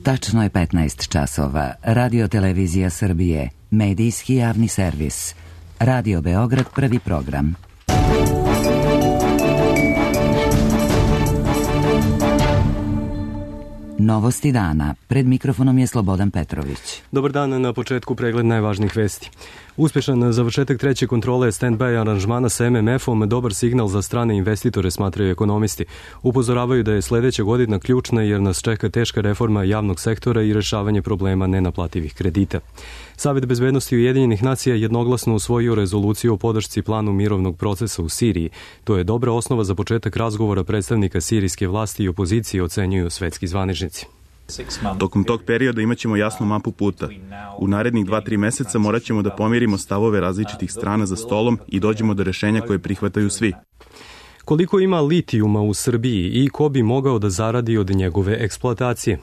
Tačno je 15 časova. Radio Televizija Srbije. Medijski javni servis. Radio Beograd, prvi program. Novosti dana. Pred mikrofonom je Slobodan Petrović. Dobar dan, na početku pregled najvažnijih vesti. Uspješan završetak treće kontrole stand-by aranžmana sa MMF-om dobar signal za strane investitore, smatraju ekonomisti. Upozoravaju da je sljedeća godina ključna jer nas čeka teška reforma javnog sektora i rješavanje problema nenaplativih kredita. Savet bezbednosti Ujedinjenih nacija jednoglasno usvojio rezoluciju o podršci planu mirovnog procesa u Siriji. To je dobra osnova za početak razgovora predstavnika sirijske vlasti i opozicije, ocenjuju svetski zvaničnici. Tokom tog perioda imat ćemo jasnu mapu puta. U narednih 2-3 meseca morat ćemo da pomirimo stavove različitih strana za stolom i dođemo do rešenja koje prihvataju svi. Koliko ima litijuma u Srbiji i ko bi mogao da zaradi od njegove eksploatacije?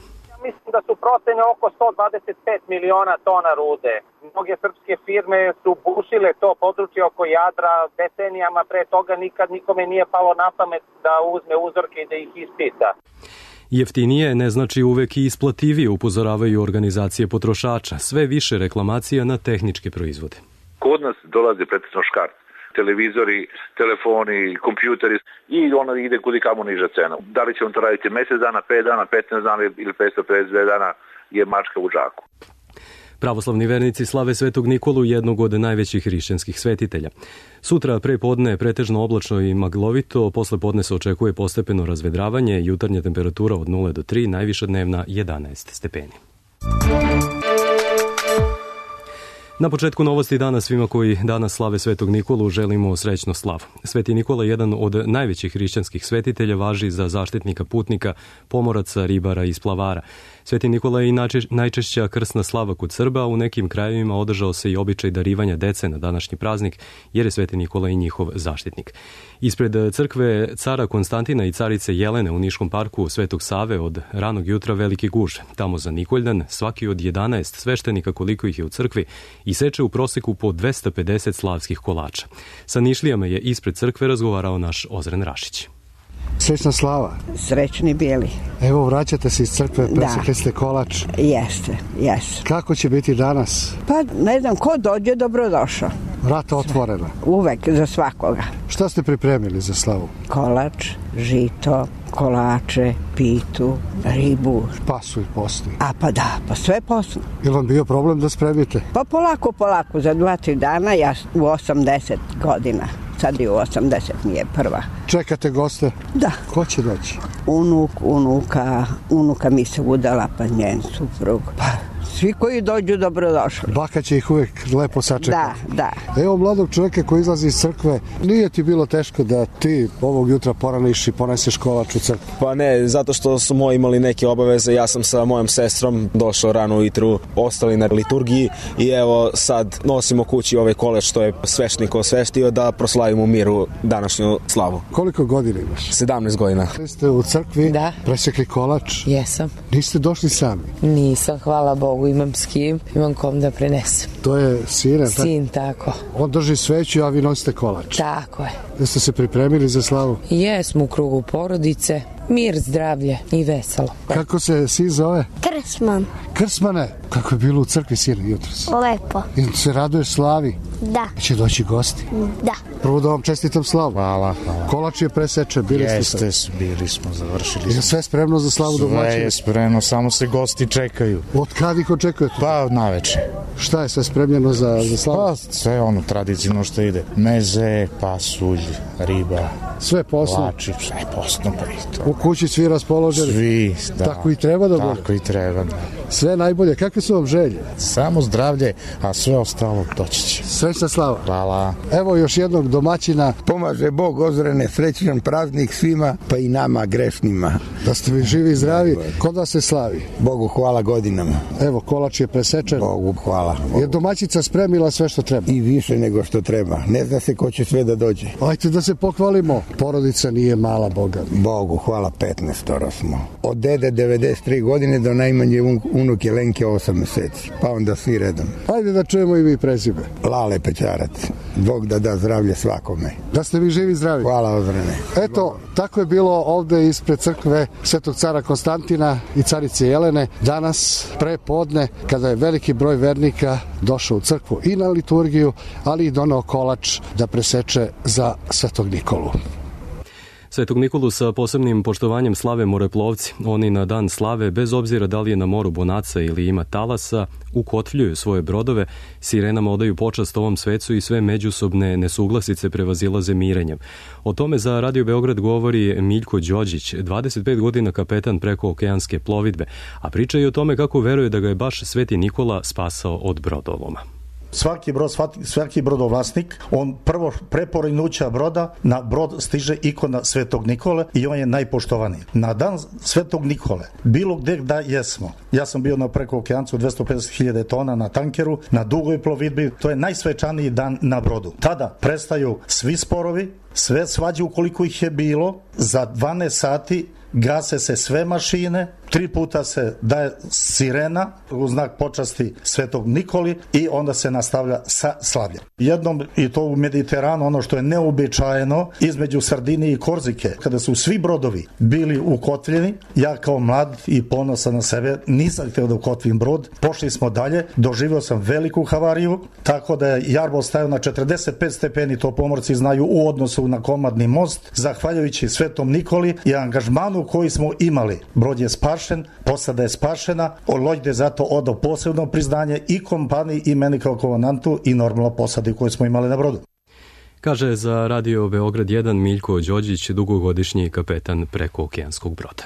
Mislim da su procene oko 125 miliona tona rude. Mnoge srpske firme su bušile to područje oko Jadra decenijama, pre toga nikad nikome nije palo na pamet da uzme uzorke i da ih ispita. Jeftinije ne znači uvek i isplativije, upozoravaju organizacije potrošača. Sve više reklamacija na tehničke proizvode. Kod nas dolaze pretežno škart. Televizori, telefoni, kompjuteri i ono ide kudi kamo niža cena. Da li će on to raditi mjesec dana, 5 dana, 15 dana ili 552 dana je mačka u džaku. Pravoslavni vernici slave Svetog Nikolu, jednog od najvećih hrišćanskih svetitelja. Sutra pre podne je pretežno oblačno i maglovito, posle podne se očekuje postepeno razvedravanje, jutarnja temperatura od 0 do 3, najviša dnevna 11 stepeni. Na početku novosti dana svima koji danas slave Svetog Nikolu želimo srećnu slavu. Sveti Nikola, jedan od najvećih hrišćanskih svetitelja, važi za zaštitnika putnika, pomoraca, ribara i splavara. Sveti Nikola je i najčešća krsna slava kod Srba, a u nekim krajevima održao se i običaj darivanja dece na današnji praznik, jer je Sveti Nikola i njihov zaštitnik. Ispred crkve cara Konstantina i carice Jelene u Niškom parku Svetog Save od ranog jutra veliki guž. Tamo za Nikoldan svaki od 11 sveštenika, koliko ih je u crkvi, iseče u proseku po 250 slavskih kolača. Sa Nišlijama je ispred crkve razgovarao naš Ozren Rašić. Srećna slava. Srećni bili. Evo, vraćate se iz crkve, presekli ste kolač. Jeste. Kako će biti danas? Pa, ne znam, ko dođe, dobrodošao. Vrata otvorena. Uvek, za svakoga. Šta ste pripremili za slavu? Kolač, žito, kolače, pitu, ribu. Pasulj postoji. Pa sve posno. Je vam bio problem da spremite? Pa polako, za 2-3 dana, ja u 80 godina. Sad je u 80, nije prva. Čekate goste? Da. Ko će doći? Unuka mi se udala, pa njen suprug. Pa svi koji dođu, dobrodošli. Baka će ih uvijek lepo sačekati. Da. Evo mladog čovjeka koji izlazi iz crkve, nije ti bilo teško da ti ovog jutra poraniš i poneseš kolač u crkvu? Pa ne, zato što su moji imali neke obaveze, ja sam sa mojom sestrom došao rano ujutru, ostali na liturgiji i evo sad nosimo kući ovaj kolač što je sveštenik osveštio da proslavimo u miru današnju slavu. Koliko godina imaš? 17 godina. Vi ste u crkvi, da. Presekli kolač? Jesam. Niste došli sami? Nisam, hvala Bogu, imam s kim, imam kom da prenesem. To je sin, Sin, tako. On drži sveću, a vi nosite kolač. Tako je. Jeste se pripremili za slavu? Jesmo u krugu porodice, mir, zdravlje i veselo. Kako se sin zove? Krsman. Krsmane, kako je bilo u crkvi sin jutros? Lepo. I se raduješ slavi? Da. Će doći gosti? Da. Prvo da vam čestitam slavu. Hvala. Kolač je presečen, bili ste. Bili smo, završili. Je sve spremno za slavu domaćina? Sve je spremno, samo se gosti čekaju. Od kad ih očekujete? Pa naveče. Šta je sve spremljeno za slavu? Pa sve ono tradicionalno što ide. Meze, pasulj, riba. Sve posno? Kolači, sve posno. U kući svi raspoloženi? Svi, da. Tako i treba da bude? Tako i treba, da. Sve najbolje. Kakve su vam želje? Samo zdravlje, a sve ostalo doći će. Srećna slava. Hvala. Evo još jednog domaćina. Pomaže Bog, Ozrene, srećan praznik svima, pa i nama grešnima. Da ste vi živi i zdravi. Kod vas se slavi? Bogu hvala godinama. Evo, kolač je presečen. Bogu hvala. Je domaćica spremila sve što treba? I više nego što treba. Ne zna se ko će sve da dođe. Ajde da se pohvalimo. Porodica nije mala, Boga. Bogu hvala, 15 smo. Od dede 93 godine do najmanje unuke Lenke 8 meseci. Pa onda svi redom. Ajde da čujemo i vi prezime. Lale Pečarac. Bog da zdravlje svakome. Da ste vi živi i zdravi. Hvala, Ozrene. Eto, tako je bilo ovde ispred crkve Svetog cara Konstantina i carice Jelene, danas pre podne, kada je veliki broj vernika došao u crkvu i na liturgiju, ali i doneo kolač da preseče za Svetog Nikolu. Svetog Nikolu sa posebnim poštovanjem slave moreplovci. Oni na dan slave, bez obzira da li je na moru bonaca ili ima talasa, ukotvljuju svoje brodove, sirenama odaju počast ovom svecu i sve međusobne nesuglasice prevazilaze mirenjem. O tome za Radio Beograd govori Miljko Đođić, 25 godina kapetan preko okeanske plovidbe, a priča i o tome kako veruje da ga je baš Sveti Nikola spasao od brodoloma. Svaki brodovlasnik, on prvo pre porinuća broda na brod stiže ikona Svetog Nikole i on je najpoštovaniji. Na dan Svetog Nikole, bilo gde da jesmo, ja sam bio na preko okeancu 250.000 tona na tankeru, na dugoj plovidbi, to je najsvečaniji dan na brodu. Tada prestaju svi sporovi, sve svađe ukoliko ih je bilo, za 12 sati gase se sve mašine, 3 puta se daje sirena u znak počasti Svetog Nikoli i onda se nastavlja sa slavljem. Jednom, i to u Mediteranu, ono što je neobičajeno, između Sardinije i Korzike, kada su svi brodovi bili ukotvljeni, ja kao mlad i ponosan na sebe nisam htio da ukotvim brod, pošli smo dalje, doživio sam veliku havariju, tako da je jarbol stajao na 45 stepeni, to pomorci znaju, u odnosu na komadni most, zahvaljujući Svetom Nikoli i angažmanu koji smo imali. Brod je spašen, posada je spašena, Lojde zato odao posebno priznanje i kompaniji i meni kao komandantu i normalno posadi koju smo imali na brodu. Kaže za Radio Beograd 1 Miljko Đođić, dugogodišnji kapetan preko okeanskog broda.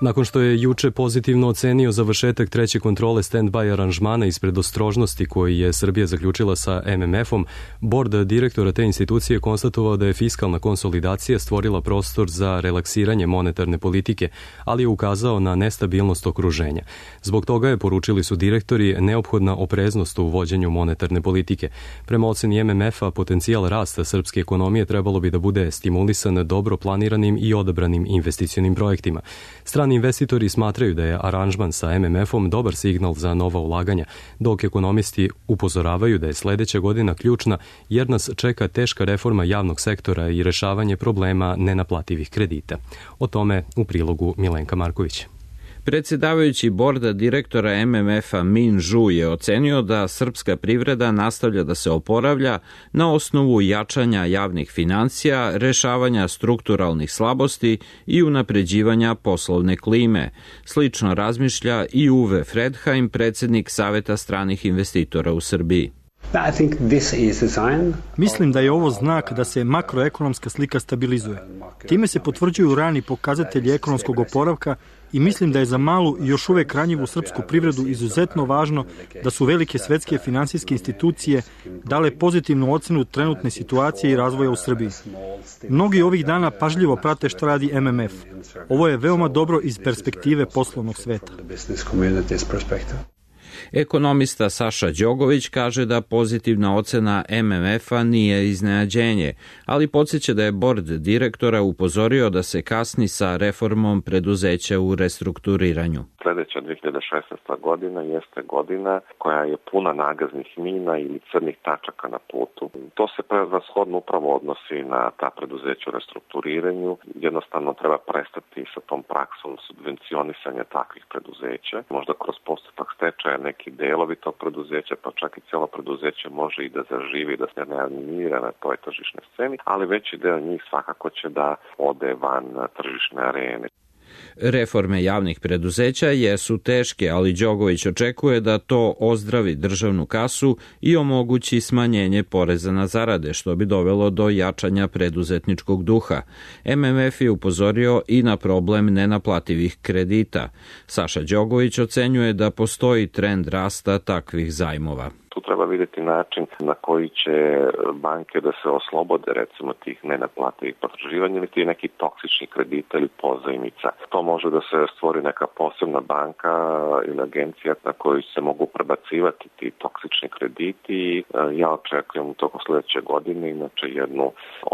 Nakon što je juče pozitivno ocenio završetak treće kontrole stand-by aranžmana iz predostrožnosti koji je Srbija zaključila sa MMF-om, bord direktora te institucije konstatovao da je fiskalna konsolidacija stvorila prostor za relaksiranje monetarne politike, ali je ukazao na nestabilnost okruženja. Zbog toga je, poručili su direktori, neophodna opreznost u vođenju monetarne politike. Prema oceni MMF-a, potencijal rasta srpske ekonomije trebalo bi da bude stimulisan dobro planiranim i odabranim investicionim projektima. Strani investitori smatraju da je aranžman sa MMF-om dobar signal za nova ulaganja, dok ekonomisti upozoravaju da je sledeća godina ključna jer nas čeka teška reforma javnog sektora i rešavanje problema nenaplativih kredita. O tome u prilogu Milenka Marković. Predsedavajući borda direktora MMF-a Min Zhu je ocenio da srpska privreda nastavlja da se oporavlja na osnovu jačanja javnih financija, rešavanja strukturalnih slabosti i unapređivanja poslovne klime. Slično razmišlja i Uwe Fredheim, predsednik Saveta stranih investitora u Srbiji. Mislim da je ovo znak da se makroekonomska slika stabilizuje. Time se potvrđuju rani pokazatelji ekonomskog oporavka i mislim da je za malu i još uvek ranjivu srpsku privredu izuzetno važno da su velike svetske finansijske institucije dale pozitivnu ocenu trenutne situacije i razvoja u Srbiji. Mnogi ovih dana pažljivo prate šta radi MMF. Ovo je veoma dobro iz perspektive poslovnog sveta. Ekonomista Saša Đogović kaže da pozitivna ocena MMF-a nije iznenađenje, ali podsjeća da je bord direktora upozorio da se kasni sa reformom preduzeća u restrukturiranju. Sledeća 2016. godina jeste godina koja je puna nagaznih mina ili crnih tačaka na putu. To se prevashodno upravo odnosi na ta preduzeća u restrukturiranju. Jednostavno treba prestati sa tom praksom subvencionisanja takvih preduzeća. Možda kroz postupak stečaja neki delovi tog preduzeća, pa čak i cijelo preduzeće može i da zaživi, da se ne animira na toj tržišnoj sceni, ali veći deo njih svakako će da ode van tržišne arene. Reforme javnih preduzeća jesu teške, ali Đogović očekuje da to ozdravi državnu kasu i omogući smanjenje poreza na zarade, što bi dovelo do jačanja preduzetničkog duha. MMF je upozorio i na problem nenaplativih kredita. Saša Đogović ocenjuje da postoji trend rasta takvih zajmova. Tu treba vidjeti način na koji će banke da se oslobode recimo tih nenaplativih potraživanja ili ti neki toksični kredita ili pozajmica. To može da se stvori neka posebna banka ili agencija na koju se mogu prebacivati ti toksični krediti. Ja očekujem u toku sledeće godine inače jednu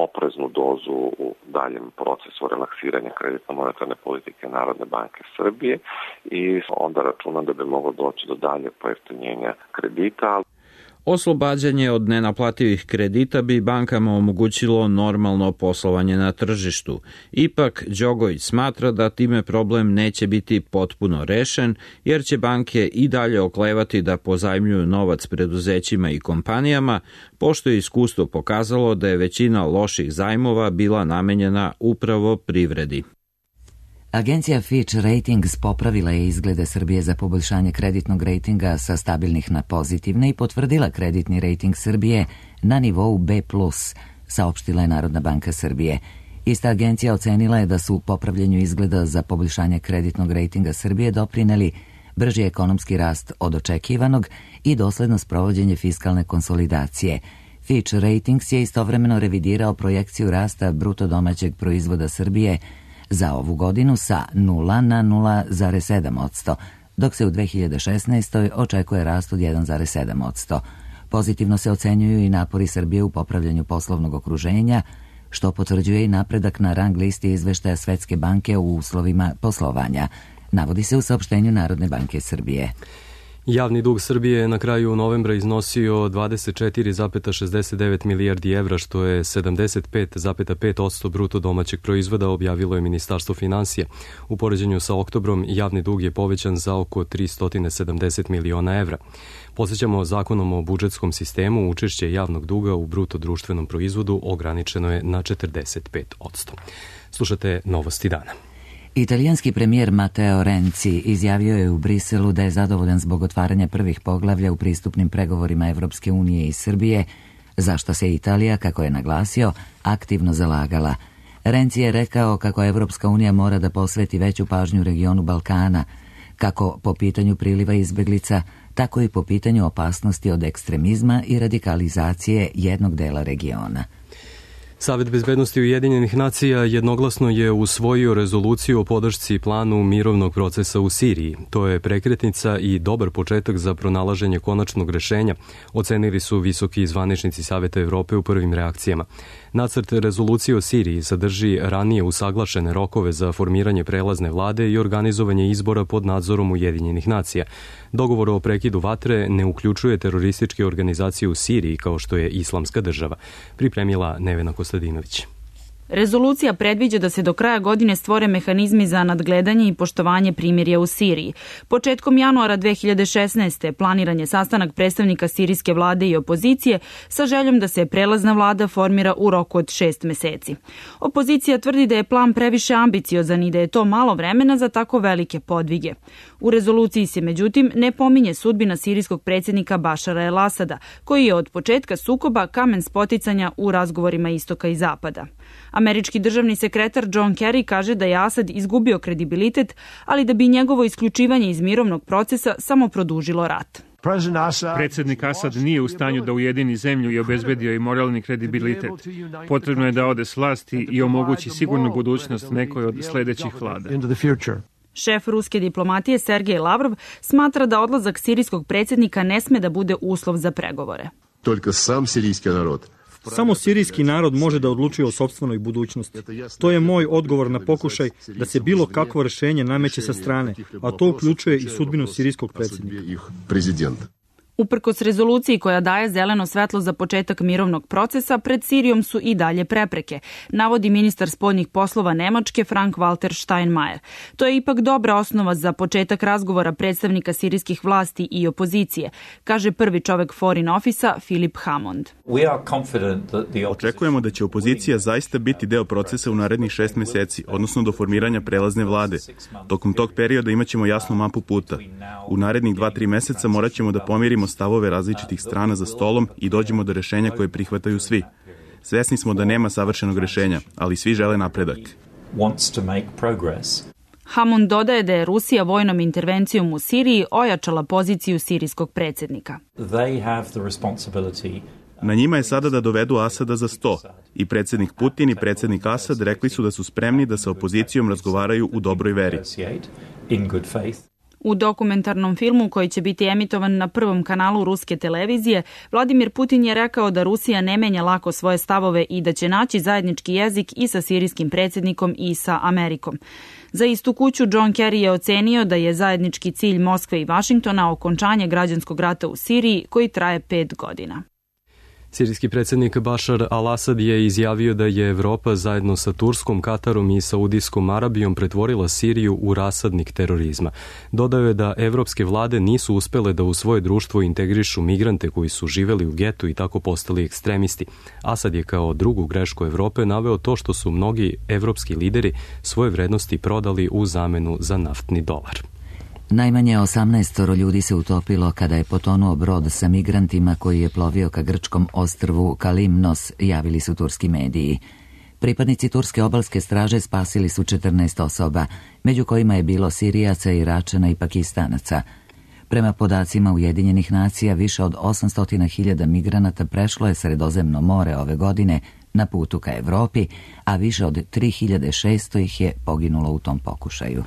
opreznu dozu u daljem procesu relaksiranja kreditno-monetarne politike Narodne banke Srbije i onda računam da bi moglo doći do dalje pojeftinjenja kredita. Oslobađanje od nenaplativih kredita bi bankama omogućilo normalno poslovanje na tržištu. Ipak, Đogović smatra da time problem neće biti potpuno rešen, jer će banke i dalje oklevati da pozajmljuju novac preduzećima i kompanijama, pošto je iskustvo pokazalo da je većina loših zajmova bila namenjena upravo privredi. Agencija Fitch Ratings popravila je izglede Srbije za poboljšanje kreditnog rejtinga sa stabilnih na pozitivne i potvrdila kreditni rejting Srbije na nivou B+, saopštila je Narodna banka Srbije. Ista agencija ocenila je da su popravljanju izgleda za poboljšanje kreditnog rejtinga Srbije doprineli brži ekonomski rast od očekivanog i dosledno sprovođenje fiskalne konsolidacije. Fitch Ratings je istovremeno revidirao projekciju rasta bruto domaćeg proizvoda Srbije za ovu godinu sa 0 na 0,7%, dok se u 2016. očekuje rast od 1,7%. Pozitivno se ocenjuju i napori Srbije u popravljanju poslovnog okruženja, što potvrđuje i napredak na rang listi izveštaja Svetske banke u uslovima poslovanja, navodi se u saopštenju Narodne banke Srbije. Javni dug Srbije je na kraju novembra iznosio 24,69 milijardi evra, što je 75,5% bruto domaćeg proizvoda, objavilo je Ministarstvo finansija. U poređenju sa oktobrom javni dug je povećan za oko 370 miliona evra. Podsjećamo, zakonom o budžetskom sistemu učešće javnog duga u bruto društvenom proizvodu ograničeno je na 45%. Slušate Novosti dana. Italijanski premijer Matteo Renzi izjavio je u Briselu da je zadovoljan zbog otvaranja prvih poglavlja u pristupnim pregovorima Evropske unije i Srbije, za što se Italija, kako je naglasio, aktivno zalagala. Renzi je rekao kako Evropska unija mora da posveti veću pažnju regionu Balkana, kako po pitanju priliva izbeglica, tako i po pitanju opasnosti od ekstremizma i radikalizacije jednog dela regiona. Savet bezbednosti Ujedinjenih nacija jednoglasno je usvojio rezoluciju o podršci planu mirovnog procesa u Siriji. To je prekretnica i dobar početak za pronalaženje konačnog rešenja, ocenili su visoki zvaničnici Saveta Evrope u prvim reakcijama. Nacrt rezolucije o Siriji sadrži ranije usaglašene rokove za formiranje prelazne vlade i organizovanje izbora pod nadzorom Ujedinjenih nacija. Dogovor o prekidu vatre ne uključuje terorističke organizacije u Siriji kao što je Islamska država, pripremila Nevena Kostadinović. Rezolucija predviđa da se do kraja godine stvore mehanizmi za nadgledanje i poštovanje primirja u Siriji. Početkom januara 2016. planiran je sastanak predstavnika sirijske vlade i opozicije sa željom da se prelazna vlada formira u roku od 6 meseci. Opozicija tvrdi da je plan previše ambiciozan i da je to malo vremena za tako velike podvige. U rezoluciji se međutim ne pominje sudbina sirijskog predsjednika Bašara el Asada, koji je od početka sukoba kamen spoticanja u razgovorima istoka i zapada. Američki državni sekretar John Kerry kaže da je Asad izgubio kredibilitet, ali da bi njegovo isključivanje iz mirovnog procesa samo produžilo rat. Predsjednik Asad nije u stanju da ujedini zemlju i obezbedio i moralni kredibilitet. Potrebno je da ode s vlasti i omogući sigurnu budućnost nekoj od sledećih vlada. Šef ruske diplomatije Sergej Lavrov smatra da odlazak sirijskog predsjednika ne sme da bude uslov za pregovore. Samo sirijski narod može da odlučuje o sopstvenoj budućnosti. To je moj odgovor na pokušaj da se bilo kakvo rešenje nameće sa strane, a to uključuje i sudbinu sirijskog predsjednika. Uprkos rezoluciji koja daje zeleno svetlo za početak mirovnog procesa, pred Sirijom su i dalje prepreke, navodi ministar spoljnih poslova Nemačke Frank-Walter Steinmeier. To je ipak dobra osnova za početak razgovora predstavnika sirijskih vlasti i opozicije, kaže prvi čovek Foreign Office-a Philip Hammond. Očekujemo da će opozicija zaista biti deo procesa u narednih 6 meseci, odnosno do formiranja prelazne vlade. Tokom tog perioda imaćemo jasnu mapu puta. U narednih 2-3 meseca morat ćemo da pomirimo stavove različitih strana za stolom i dođemo do rešenja koje prihvataju svi. Svesni smo da nema savršenog rešenja, ali svi žele napredak. Hammond dodaje da je Rusija vojnom intervencijom u Siriji ojačala poziciju sirijskog predsjednika. Na njima je sada da dovedu Asada za sto. I predsjednik Putin i predsjednik Asad rekli su da su spremni da sa opozicijom razgovaraju u dobroj veri. U dokumentarnom filmu koji će biti emitovan na Prvom kanalu ruske televizije, Vladimir Putin je rekao da Rusija ne menja lako svoje stavove i da će naći zajednički jezik i sa sirijskim predsjednikom i sa Amerikom. Za istu kuću John Kerry je ocenio da je zajednički cilj Moskve i Vašingtona okončanje građanskog rata u Siriji koji traje 5 godina. Sirijski predsjednik Bašar al-Asad je izjavio da je Evropa zajedno sa Turskom, Katarom i Saudijskom Arabijom pretvorila Siriju u rasadnik terorizma. Dodao je da evropske vlade nisu uspele da u svoje društvo integrišu migrante koji su živeli u getu i tako postali ekstremisti. Asad je kao drugu grešku Evrope naveo to što su mnogi evropski lideri svoje vrednosti prodali u zamenu za naftni dolar. Najmanje 18 ljudi se utopilo kada je potonuo brod sa migrantima koji je plovio ka grčkom ostrvu Kalimnos, javili su turski mediji. Pripadnici turske obalske straže spasili su 14 osoba, među kojima je bilo Sirijaca, Iračana i Pakistanaca. Prema podacima Ujedinjenih nacija, više od 800.000 migranata prešlo je Sredozemno more ove godine na putu ka Evropi, a više od 3.600 ih je poginulo u tom pokušaju.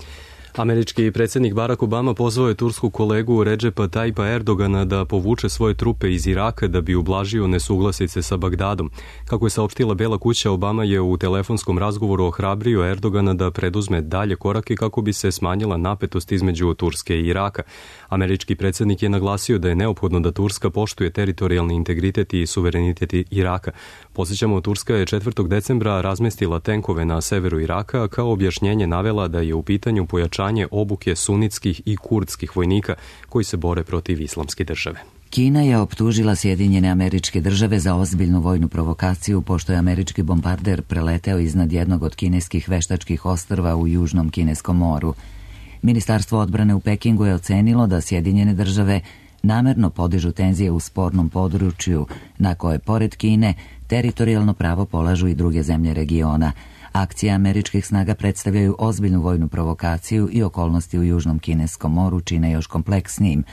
Američki predsjednik Barack Obama pozvao je tursku kolegu Redžepa Tayyipa Erdogana da povuče svoje trupe iz Iraka da bi ublažio nesuglasice sa Bagdadom. Kako je saopštila Bela kuća, Obama je u telefonskom razgovoru ohrabrio Erdogana da preduzme dalje korake kako bi se smanjila napetost između Turske i Iraka. Američki predsjednik je naglasio da je neophodno da Turska poštuje teritorijalni integritet i suverenitet Iraka. Podsjećamo, Turska je 4. decembra razmestila tenkove na severu Iraka, kao objašnjenje navela da je u pitanju pojačanje obuke sunitskih i kurdskih vojnika koji se bore protiv islamske države. Kina je optužila Sjedinjene Američke Države za ozbiljnu vojnu provokaciju pošto je američki bombarder preleteo iznad jednog od kineskih veštačkih ostrva u Južnom Kineskom moru. Ministarstvo odbrane u Pekingu je ocenilo da Sjedinjene Države namerno podižu tenzije u spornom području na koje, pored Kine, teritorijalno pravo polažu i druge zemlje regiona. Akcije američkih snaga predstavljaju ozbiljnu vojnu provokaciju i okolnosti u Južnom Kineskom moru čine još kompleksnijim.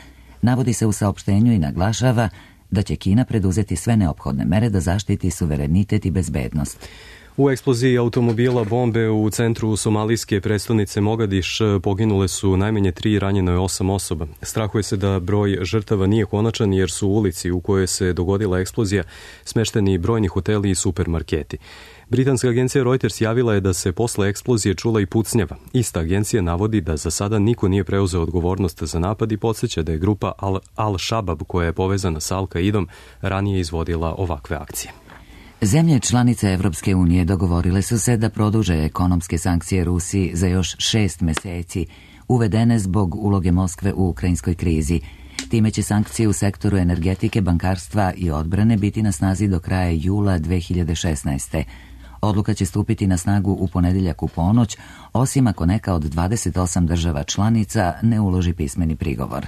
Navodi se u saopštenju i naglašava da će Kina preduzeti sve neophodne mere da zaštiti suverenitet i bezbednost. U eksploziji automobila bombe u centru somalijske prestonice Mogadiš poginule su najmanje 3, ranjeno je 8 osoba. Strahuje se da broj žrtava nije konačan jer su u ulici u kojoj se dogodila eksplozija smešteni brojni hoteli i supermarketi. Britanska agencija Reuters javila je da se posle eksplozije čula i pucnjava. Ista agencija navodi da za sada niko nije preuzeo odgovornost za napad i podsjeća da je grupa Al-Shabab, koja je povezana sa Al-Qaidom, ranije izvodila ovakve akcije. Zemlje članice Evropske unije dogovorile su se da produže ekonomske sankcije Rusiji za još 6 meseci, uvedene zbog uloge Moskve u ukrajinskoj krizi. Time će sankcije u sektoru energetike, bankarstva i odbrane biti na snazi do kraja jula 2016. Odluka će stupiti na snagu u ponedjeljak u ponoć, osim ako neka od 28 država članica ne uloži pismeni prigovor.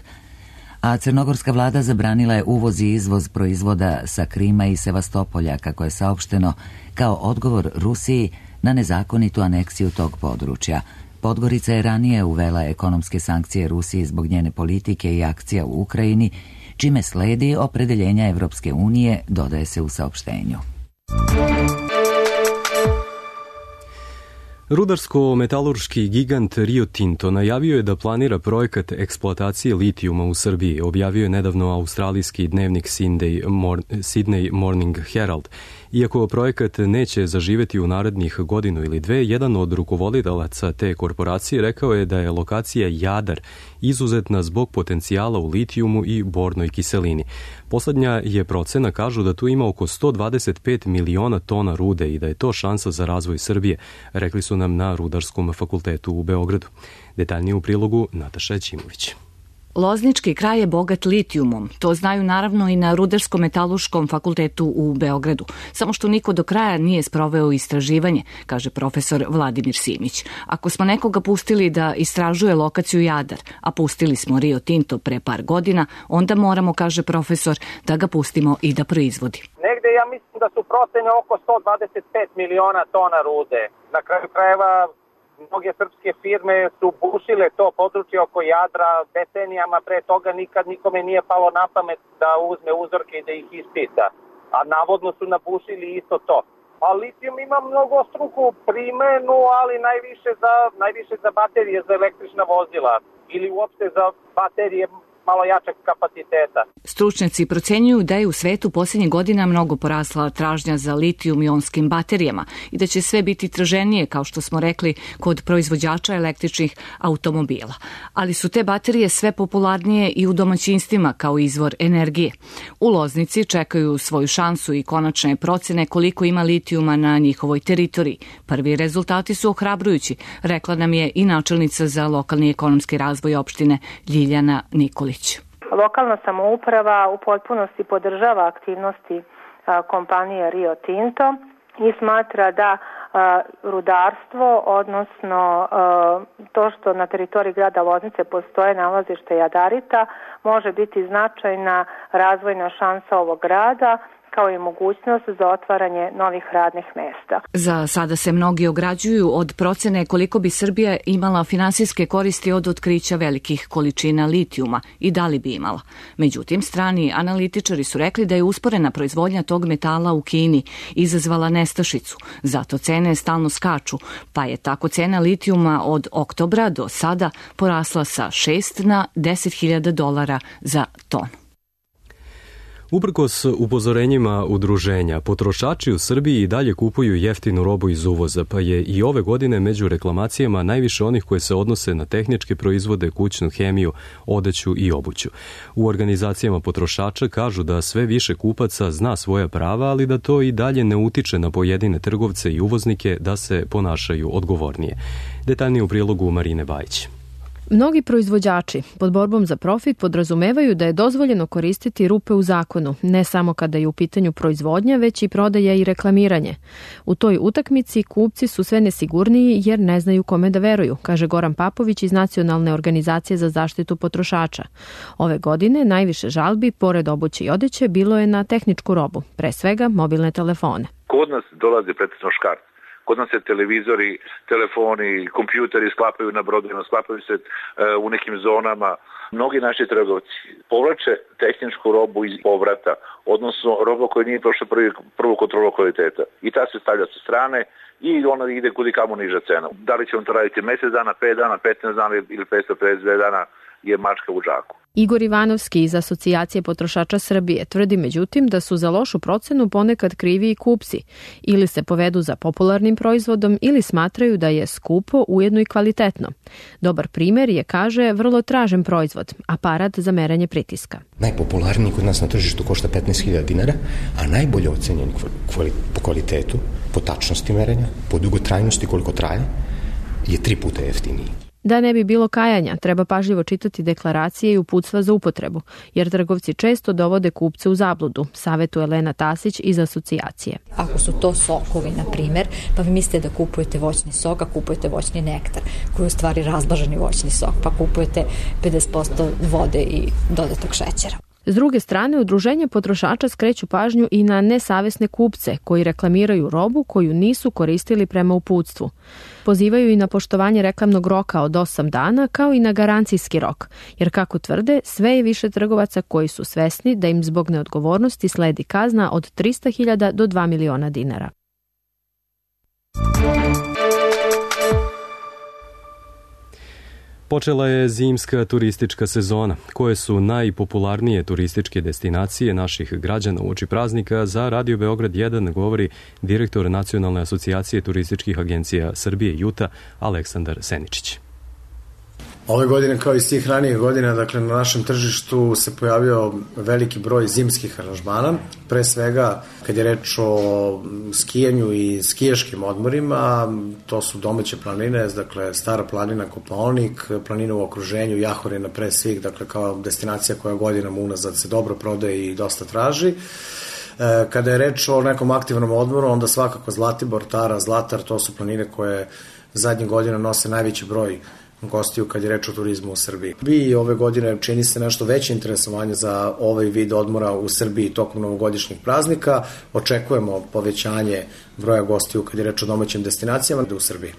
A crnogorska vlada zabranila je uvoz i izvoz proizvoda sa Krima i Sevastopolja, kako je saopšteno, kao odgovor Rusiji na nezakonitu aneksiju tog područja. Podgorica je ranije uvela ekonomske sankcije Rusiji zbog njene politike i akcija u Ukrajini, čime sledi opredeljenja Evropske unije, dodaje se u saopštenju. Rudarsko-metalurški gigant Rio Tinto najavio je da planira projekat eksploatacije litijuma u Srbiji, objavio je nedavno australijski dnevnik Sydney Morning Herald. Iako projekat neće zaživeti u narednih godinu ili dve, jedan od rukovoditeljaca te korporacije rekao je da je lokacija Jadar izuzetna zbog potencijala u litijumu i bornoj kiselini. Poslednja je procena, kažu da tu ima oko 125 miliona tona rude i da je to šansa za razvoj Srbije, rekli su nam na Rudarskom fakultetu u Beogradu. Detaljnije u prilogu Nataša Ćimović. Loznički kraj je bogat litijumom. To znaju naravno i na Rudarsko-metalurškom fakultetu u Beogradu. Samo što niko do kraja nije sproveo istraživanje, kaže profesor Vladimir Simić. Ako smo nekoga pustili da istražuje lokaciju Jadar, a pustili smo Rio Tinto pre par godina, onda moramo, kaže profesor, da ga pustimo i da proizvodi. Negde ja mislim da su procene oko 125 miliona tona rude. Na kraju krajeva mnoge srpske firme su bušile to područje oko Jadra decenijama, pre toga nikad nikome nije palo na pamet da uzme uzorke i da ih ispita. A navodno su nabušili isto to. A litijum ima mnogostruku primenu, ali najviše za baterije za električna vozila ili uopšte za baterije malo jačeg kapaciteta. Stručnjaci procenjuju da je u svetu posljednjih godina mnogo porasla tražnja za litijum-ionskim baterijama i da će sve biti traženije, kao što smo rekli, kod proizvođača električnih automobila. Ali su te baterije sve popularnije i u domaćinstvima kao izvor energije. U Loznici čekaju svoju šansu i konačne procene koliko ima litijuma na njihovoj teritoriji. Prvi rezultati su ohrabrujući, rekla nam je i načelnica za lokalni ekonomski razvoj opštine Ljiljana Nikolić. Lokalna samouprava u potpunosti podržava aktivnosti kompanije Rio Tinto i smatra da rudarstvo, odnosno to što na teritoriji grada Loznice postoje nalazište jadarita, može biti značajna razvojna šansa ovog grada, kao i mogućnost za otvaranje novih radnih mesta. Za sada se mnogi ograđuju od procene koliko bi Srbija imala finansijske koristi od otkrića velikih količina litijuma i da li bi imala. Međutim, strani analitičari su rekli da je usporena proizvodnja tog metala u Kini izazvala nestašicu, zato cene stalno skaču, pa je tako cena litijuma od oktobra do sada porasla sa $6 na $10.000 za tonu. Uprkos upozorenjima udruženja, potrošači u Srbiji i dalje kupuju jeftinu robu iz uvoza, pa je i ove godine među reklamacijama najviše onih koje se odnose na tehničke proizvode, kućnu hemiju, odeću i obuću. U organizacijama potrošača kažu da sve više kupaca zna svoja prava, ali da to i dalje ne utiče na pojedine trgovce i uvoznike da se ponašaju odgovornije. Detaljnije u prilogu Marine Bajić. Mnogi proizvođači pod borbom za profit podrazumevaju da je dozvoljeno koristiti rupe u zakonu, ne samo kada je u pitanju proizvodnja, već i prodaja i reklamiranje. U toj utakmici kupci su sve nesigurniji jer ne znaju kome da veruju, kaže Goran Papović iz Nacionalne organizacije za zaštitu potrošača. Ove godine najviše žalbi, pored obuće i odeće, bilo je na tehničku robu, pre svega mobilne telefone. Kod nas dolazi pretežno škart. Kod nas se televizori, telefoni, kompjuteri sklapaju na brodovima, sklapaju se u nekim zonama. Mnogi naši trgovci povlače tehničku robu iz povrata, odnosno robu koja nije prošla prvu kontrolu kvaliteta. I ta se stavlja sa strane i ona ide kudi kamo niža cena. Da li će on to raditi mjesec dana, 5 dana, 15 dana ili 552 dana je mačka u džaku. Igor Ivanovski iz Asocijacije potrošača Srbije tvrdi međutim da su za lošu procenu ponekad krivi i kupci. Ili se povedu za popularnim proizvodom ili smatraju da je skupo, ujedno i kvalitetno. Dobar primjer je, kaže, vrlo tražen proizvod, aparat za merenje pritiska. Najpopularniji kod nas na tržištu košta $15.000, a najbolje ocenjen po kvalitetu, po tačnosti merenja, po dugotrajnosti koliko traje, je 3 puta jeftiniji. Da ne bi bilo kajanja, treba pažljivo čitati deklaracije i uputstva za upotrebu, jer trgovci često dovode kupce u zabludu, savjetuje Elena Tasić iz Asocijacije. Ako su to sokovi, na primjer, pa vi mislite da kupujete voćni sok, a kupujete voćni nektar, koji je u stvari razblaženi voćni sok, pa kupujete 50% vode i dodatog šećera. S druge strane, udruženja potrošača skreću pažnju i na nesavesne kupce koji reklamiraju robu koju nisu koristili prema uputstvu. Pozivaju i na poštovanje reklamnog roka od 8 dana kao i na garancijski rok, jer kako tvrde, sve je više trgovaca koji su svesni da im zbog neodgovornosti sledi kazna od 300.000 do 2 miliona dinara. Počela je zimska turistička sezona. Koje su najpopularnije turističke destinacije naših građana uoči praznika, za Radio Beograd 1 govori direktor Nacionalne asocijacije turističkih agencija Srbije JUTA Aleksandar Seničić. Ove godine, kao i svih ranijih godina, dakle, na našem tržištu se pojavio veliki broj zimskih aranžmana, pre svega kad je reč o skijanju i skijaškim odmorima. To su domaće planine, dakle Stara planina, Kopaonik, planina u okruženju, Jahorina pre svih, dakle kao destinacija koja godinama unazad se dobro prodaje i dosta traži. Kada je reč o nekom aktivnom odmoru, onda svakako Zlatibor, Tara, Zlatar, to su planine koje zadnjih godina nose najveći broj gostiju kad je reč o turizmu u Srbiji. I ove godine čini se nešto veće interesovanje za ovaj vid odmora u Srbiji tokom novogodišnjih praznika. Očekujemo povećanje broja gostiju kad je reč o domaćim destinacijama u Srbiji.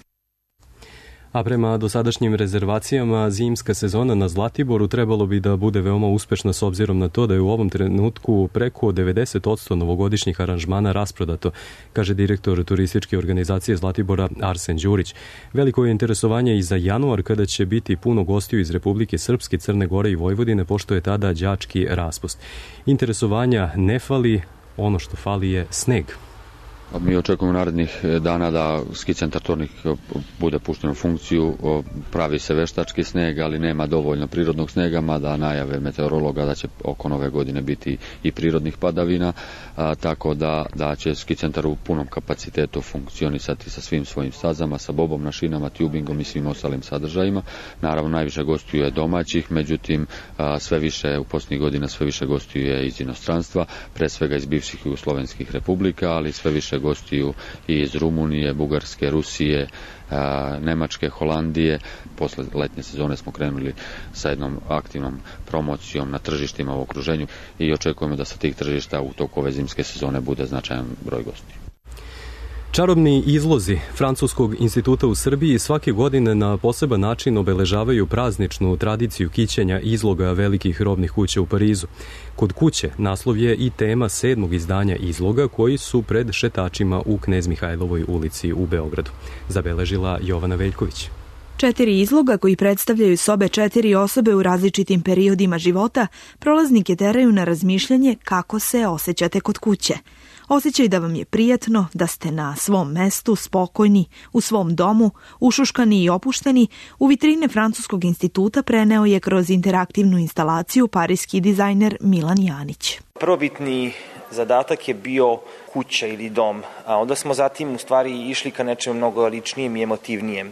A prema dosadašnjim rezervacijama zimska sezona na Zlatiboru trebalo bi da bude veoma uspešna s obzirom na to da je u ovom trenutku preko 90% novogodišnjih aranžmana rasprodato, kaže direktor turističke organizacije Zlatibora Arsen Đurić. Veliko je interesovanje i za januar kada će biti puno gostiju iz Republike Srpske, Crne Gore i Vojvodine, pošto je tada đački raspust. Interesovanja ne fali, ono što fali je sneg. Mi očekujemo narednih dana da ski centar Tornik bude pušten u funkciju, pravi se veštački sneg, ali nema dovoljno prirodnog snega, mada najave meteorologa da će oko nove godine biti i prirodnih padavina, tako da će ski centar u punom kapacitetu funkcionisati sa svim svojim stazama, sa bobom, našinama, tubingom i svim ostalim sadržajima. Naravno, najviše gostiju je domaćih, međutim, sve više u posljednjih godina sve više gostiju je iz inostranstva, pre svega iz bivših jugoslovenskih republika, ali sve više gostiju i iz Rumunije, Bugarske, Rusije, Nemačke, Holandije. Posle letnje sezone smo krenuli sa jednom aktivnom promocijom na tržištima u okruženju i očekujemo da sa tih tržišta u toku ove zimske sezone bude značajan broj gostiju. Čarobni izlozi Francuskog instituta u Srbiji svake godine na poseban način obeležavaju prazničnu tradiciju kićenja izloga velikih robnih kuća u Parizu. Kod kuće naslov je i tema 7. izdanja izloga koji su pred šetačima u Knez Mihajlovoj ulici u Beogradu. Zabeležila Jovana Veljković. 4 izloga koji predstavljaju sobe 4 osobe u različitim periodima života prolaznike teraju na razmišljanje kako se osjećate kod kuće. Osjećaj da vam je prijatno, da ste na svom mestu, spokojni, u svom domu, ušuškani i opušteni, u vitrine Francuskog instituta preneo je kroz interaktivnu instalaciju parijski dizajner Milan Janić. Prvobitni zadatak je bio kuća ili dom, a onda smo zatim u stvari išli ka nečemu mnogo ličnijem i emotivnijem.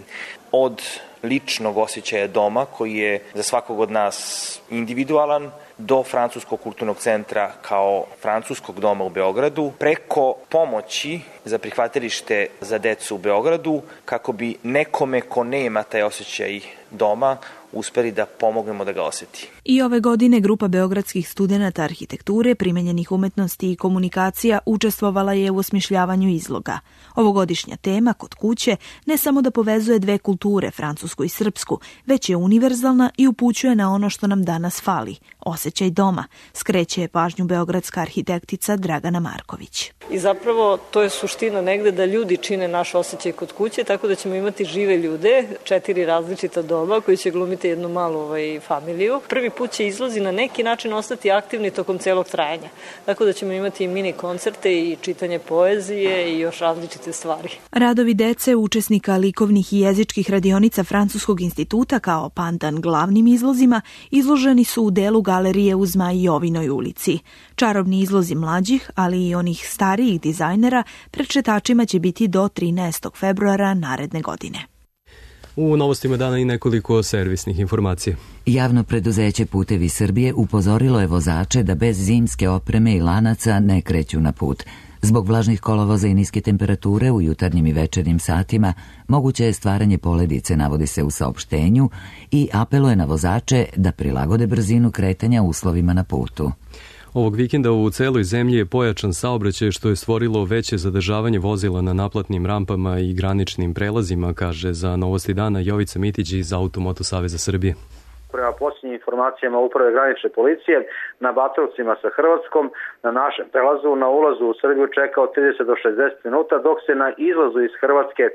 Od ličnog osjećaja doma koji je za svakog od nas individualan, do Francuskog kulturnog centra kao francuskog doma u Beogradu, preko pomoći za prihvatilište za decu u Beogradu, kako bi nekome ko nema taj osjećaj doma uspeli da pomognemo da ga osjeti. I ove godine grupa beogradskih studenata arhitekture, primenjenih umetnosti i komunikacija učestvovala je u osmišljavanju izloga. Ovogodišnja tema kod kuće ne samo da povezuje dve kulture, francusku i srpsku, već je univerzalna i upućuje na ono što nam danas fali, osjećaj doma, skreće je pažnju beogradska arhitektica Dragana Marković. I zapravo to je suština negde da ljudi čine naš osjećaj kod kuće, tako da ćemo imati žive ljude, 4 različita doma koji će glumiti jednu malu familiju. Prvi put će izlozi na neki način ostati aktivni tokom celog trajanja, tako da ćemo imati i mini koncerte i čitanje poezije i još različite stvari. Radovi dece, učesnika likovnih i jezičkih radionica Francuskog instituta kao pandan glavnim izlozima izloženi su u delu galerije u Zmaj Jovinoj ulici. Čarobni izlozi mlađih, ali i onih starijih dizajnera pred šetačima će biti do 13. februara naredne godine. U novostima dana i nekoliko servisnih informacija. Javno preduzeće Putevi Srbije upozorilo je vozače da bez zimske opreme i lanaca ne kreću na put. Zbog vlažnih kolovoza i niske temperature u jutarnjim i večernjim satima moguće je stvaranje poledice, navodi se u saopštenju, i apeluje na vozače da prilagode brzinu kretanja uslovima na putu. Ovog vikenda u celoj zemlji je pojačan saobraćaj što je stvorilo veće zadržavanje vozila na naplatnim rampama i graničnim prelazima, kaže za Novosti dana Jovica Mitić iz Automoto Saveza Srbije. Prema posljednjim informacijama Uprave granične policije, na Batrovcima sa Hrvatskom, na našem prelazu, na ulazu u Srbiju čeka od 30 do 60 minuta, dok se na izlazu iz Hrvatske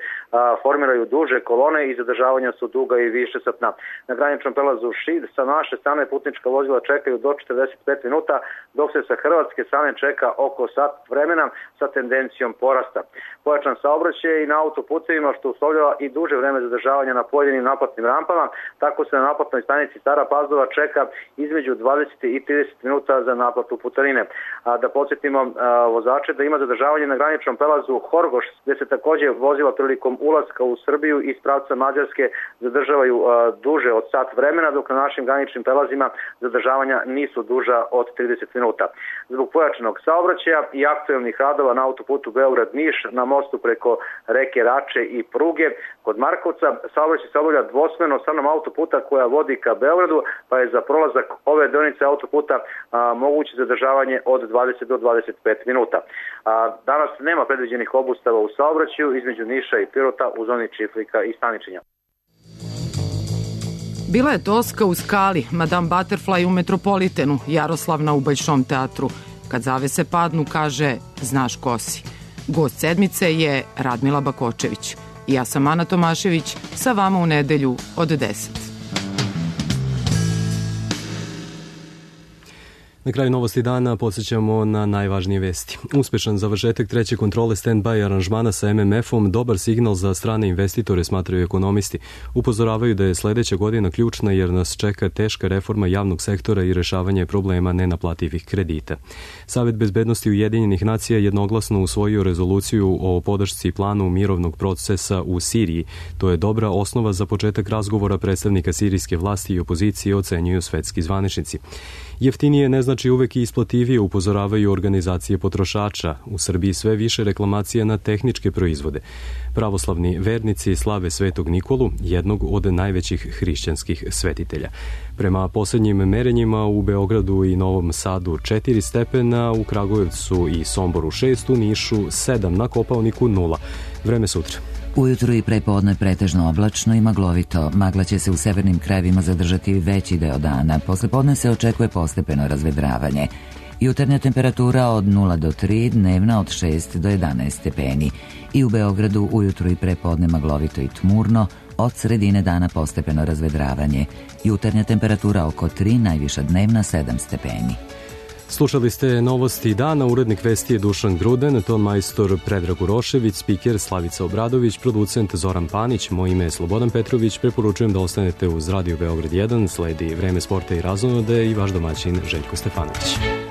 formiraju duže kolone i zadržavanja su duga i više satna. Na graničnom prelazu Šid sa naše strane putnička vozila čekaju do 45 minuta, dok se sa hrvatske strane čeka oko sat vremena sa tendencijom porasta. Pojačan saobraćaj i na autoputevima što uslovljava i duže vreme zadržavanja na pojedinim naplatnim rampama, tako se na naplatnoj stanici Stara Pazova čeka između 20 i 30 minuta za naplatu putarine. Da podsjetimo vozače da ima zadržavanje na graničnom prelazu Horgoš, gde se također vozila prilikom ulaska u Srbiju iz pravca Mađarske zadržavaju duže od sat vremena, dok na našim graničnim prelazima zadržavanja nisu duža od 30 minuta. Zbog pojačanog saobraćaja i aktuelnih radova na autoputu Beograd-Niš, na mostu preko reke Rače i pruge kod Markovca, saobraćaj se obavlja dvosmerno stranom autoputa koja vodi ka Beogradu, pa je za prolazak ove deonice autoputa moguće zadržavanje od 20 do 25 minuta. Danas nema predviđenih obustava u saobraćaju između Niša i Pirota u zoni Čiflika i Staničinja. Bila je Toska u Skali, Madame Butterfly u Metropolitenu, Jaroslavna u Bajšom teatru. Kad zavese padnu, kaže, znaš ko si. Gost sedmice je Radmila Bakočević. Ja sam Ana Tomašević, sa vama u nedelju od 10. Na kraju novosti dana podsjećamo na najvažnije vesti. Uspešan završetak treće kontrole stand-by aranžmana sa MMF-om dobar signal za strane investitore, smatraju ekonomisti. Upozoravaju da je sledeća godina ključna jer nas čeka teška reforma javnog sektora i rešavanje problema nenaplativih kredita. Savet bezbednosti Ujedinjenih nacija jednoglasno usvojio rezoluciju o podršci planu mirovnog procesa u Siriji. To je dobra osnova za početak razgovora predstavnika sirijske vlasti i opozicije, ocenjuju svetski zvaničnici. Jeftinije ne znači uvek i isplativije, upozoravaju organizacije potrošača. U Srbiji sve više reklamacija na tehničke proizvode. Pravoslavni vernici slave Svetog Nikolu, jednog od najvećih hrišćanskih svetitelja. Prema poslednjim merenjima u Beogradu i Novom Sadu 4 stepena, u Kragujevcu i Somboru 6, u Nišu 7, na Kopaoniku 0. Vreme sutra. Ujutru i prepodne pretežno oblačno i maglovito. Magla će se u severnim krajevima zadržati veći deo dana. Poslepodne se očekuje postepeno razvedravanje. Jutarnja temperatura od 0 do 3, dnevna od 6 do 11 stepeni. I u Beogradu ujutru i prepodne maglovito i tmurno, od sredine dana postepeno razvedravanje. Jutarnja temperatura oko 3, najviša dnevna 7 stepeni. Slušali ste novosti dana, urednik vesti je Dušan Gruden, ton majstor Predrag Urošević, spiker Slavica Obradović, producent Zoran Panić, moje ime je Slobodan Petrović, preporučujem da ostanete uz Radio Beograd 1, sledi Vreme sporta i razonode i vaš domaćin Željko Stefanović.